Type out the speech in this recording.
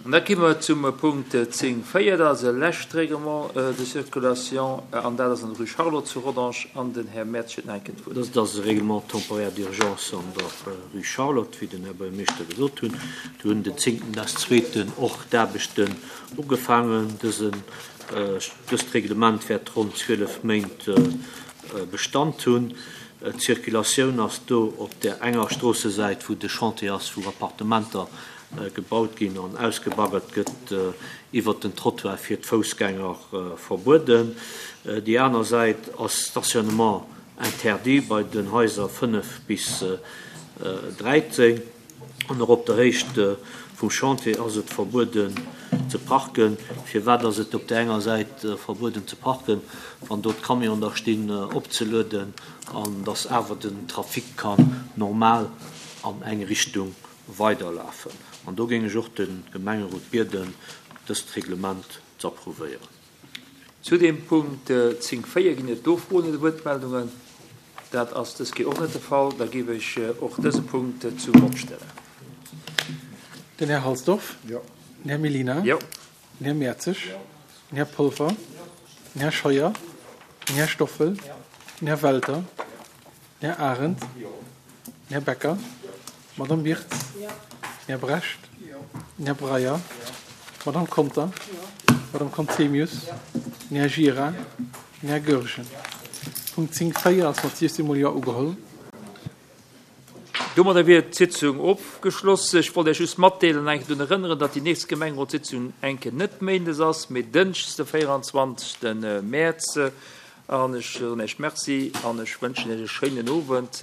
An da komme mer zum Punkt 10, 4, dat ass e lescht Règlement de circulation, an dat ass an der Rue Charlotte zu Rodange. An den Här Mertz huet nach eng Kéier d'Wuert. Dëst ass e Règlement temporaire d'urgence an der Rue Charlotte, wéi den Här Buergermeeschter gesot hunn. Do hunn den zéngten des zweeten och d'Aarbechten ugefaangen. Dësen, dëst Reglement wäert ronn 12 Méint Bestand hunn. D'Circulatioun ass do op där enger Stroossesäit, wou de Chantier ass, wou Appartementer gebaut ginn an ausgebaggert gëtt, iwwert den Trottoir fir d'Foussgänger verbueden. Déi aner Säit ass Stationnement interdit bei den Haiser 5 bis 13. An och op der Héicht vum Chantier ass et verbueden ze parken. Firwat ass et op där enger Säit verbueden ze parken, wann do d'Camionen da stinn opzelueden an dass awer den Trafic kann normal an eng Richtung weiderlafen. An do géing ech och de Gemengerot bieden, dëst Reglement z'approuvéieren. Zu deem Punkt 10, 4 ginn et do Froen oder Wuertmeldungen? Dat ass dës Kéier och net de Fall. Da géif ech och dëse Punkt zum Vott stellen. Den Här Halsdorf. Jo. Den Här Mellina. Jo. Den Här Mertzig. Jo. Den Här Polfer. Den Här Scheuer. Den Här Stoffel. Den Här Welter. Den Här Arendt. Den Här Becker. D'Madame Wirtz. Den Här Brecht. Den Här Breyer. D'Madame Conter. D'Madame Conzemius. Den Här Gira. Den Här Goergen. Punkt 10, 4 ass mat 16 mol Jo ugeholl. Domadder wier d'Sitzung ofgeschloss. Ech wollt Iech just matdeelen an eng Kéier drun erënneren, datt déi nächst Gemengerotssitzung eng Kéier net méindes ass, mee dënschdes de 24. Mäerz. An ech soen Iech Merci an ech wënschen Iech e schéinen Owend.